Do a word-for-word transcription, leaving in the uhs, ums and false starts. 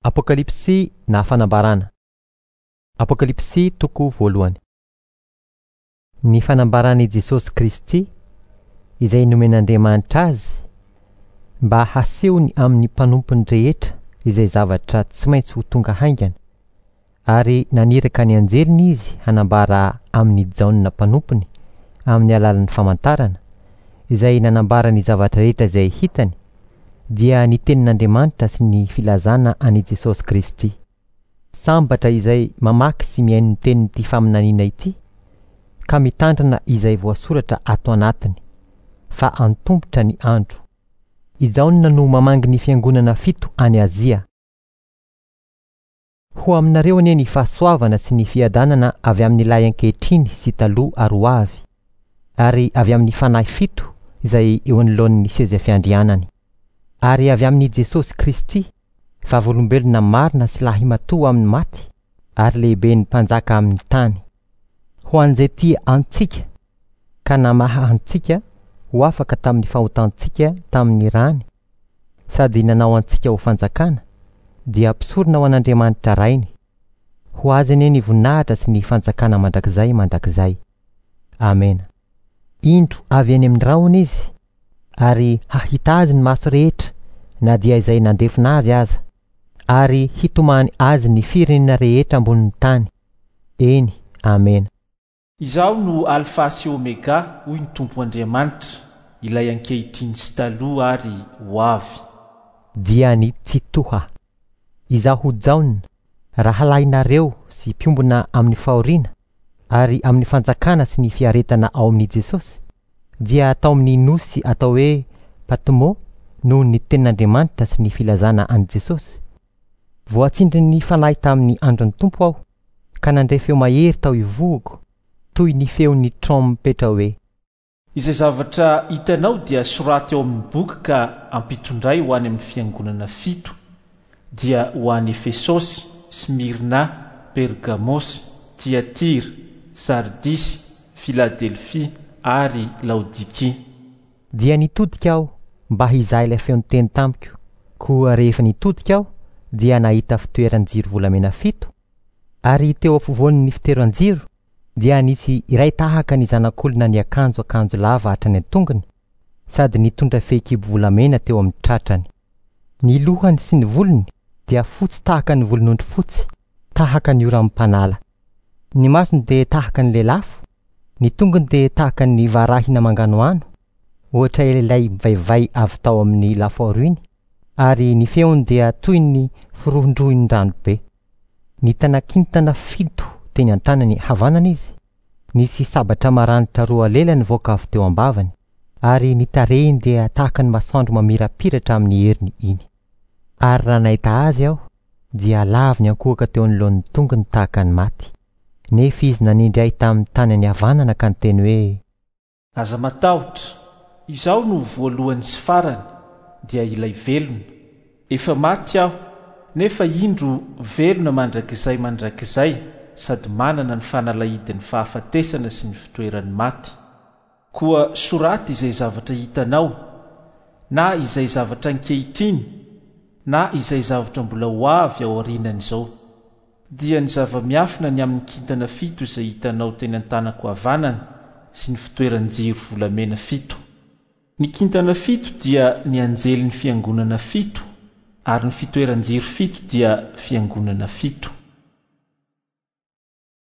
Apokalypsy na fanambarana. Apokalypsy toko voalohany. Ny fanambaran'i Jesosy Kristy izay nomen'Andriamanitra azy mba hasehony amin'ny mpanompony rehetra izay zavatra tsy maintsy ho tonga haingana, ary naniraka ny anjeliny izy hanambara amin'i Jaona mpanompony amin'ny alalan'ny famantarana, izay nanambara ny zavatra rehetra izay hitany, dia ny tenin'Andriamanitra sy ny filazana an'i Jesosy Kristy. Sambatra izay mamaky sy mihaino ny tenin'ity faminaniana ity, ka mitandrina izay voasoratra ato anatiny, fa antomotra ny andro. I Jaona no mamangy ny fiangonana fito any Azia. Ho aminareo anie ny fahasoavana sy ny fiadanana avy amin'ilay ankehitriny sy taloha ary ho avy, ary avy amin'ny fanahy fito izay eo anoloan'ny seza fiandrianany, ary avy amin'i Jesosy Kristy, vavolombelona marina sy lahimatoa amin'ny maty, ary lehiben'ny mpanjaka amin'ny tany. Ho an'izay tia antsika, ka namaha antsika ho afaka tamin'ny fahotantsika tamin'ny rany, sady nanao antsika ho fanjakana, dia mpisorona ho an'Andriamanitra Rainy. Ho azy anie ny voninahitra sy ny fanjakana mandrakizay mandrakizay. Amena. Indro avy any amin'ny rahona izy, ary hahita azy ny maso rehetra, na dia izay nandefona azy aza, ary hitomany azy ny firenena rehetra ambonin'ny tany. Eny, amena. Izaho no Alfa sy Omega, hoy ny Tompo Andriamanitra, ilay ankehitriny sy taloha ary ho avy. Dia ny Tsitoha. Izaho Jaona, rahalahinareo sy mpiombona amin'ny fahoriana, ary amin'ny fanjakana sy ny fiaretana ao amin'i Jesosy, dia tao amin'ny nosy atao hoe Patmo noho ny tenin'Andriamanitra sy ny filazana an'i Jesosy. Voatsindrin'ny fanahy tamin'ny andron'ny Tompo aho, ka nandre feo mahery tao ivohoko, toy ny feon'ny trompetra hoe: Izay zavatra hitanao dia soraty ao amin'ny boky ka ampitondray ho any amin'ny fiangonana fito, dia ho any Efesosy, Smyrna, Pergamosy, Tiatira, Sardisy, Filadelfia ary Laodikia. Dia nitodika aho mba hizaha ilay feo niteny tamiko. Koa rehefa nitodika aho dia nahita fitoeran-jiro volamena fito, ary teo afovoan'ny fitoeran-jiro dia nisy iray tahaka ny zanak'olona niakanjo akanjo lava hatrany an-tongony, sady nitondra fehikibo volamena teo amin'ny tratrany. Ny lohany sy ny volony dia fotsy tahaka ny volon'ondry fotsy, tahaka ny oram-panala. Ny masony dia tahaka ny lelafo, ny tongony dia tahaka ny varahina manganohano, ohatra ilay mivaivay avy tao amin'ny lafaoro iny, ary ny feony dia toy ny firohondrohon'ny ranobe. Nitana kintana fito teny an-tanany havanana izy, nisy sabatra maranitra roa lela nivoaka avy teo am-bavany, ary ny tarehiny dia tahaka ny masoandro mamirapiratra amin'ny heriny iny. Ary raha nahita azy aho, dia lavo niankohoka teo anoloan'ny tongony tahaka ny maty. Nefa izy nanindry ahy tamin'ny tanany havanana ka niteny hoe: Aza matahotra, izaho no voalohany sy farany, dia ilay velona. Efa maty aho, nefa indro velona mandrakizay mandrakizay, sady manana ny fanalahidin'ny fahafatesana sy ny fitoeran'ny maty. Koa soraty izay zavatra hitanao, na izay zavatra ankehitriny, na izay zavatra mbola ho avy ao aorianan'izao. Dia ny zava-miafina ny amin'ny kintana fito izay hitanao teny an-tanako havanana sy ny fitoeran-jiro volamena fito. Ny kintana fito dia ny anjelin'ny fiangonana fito, ary ny fitoeran-jiro fito dia fiangonana fito.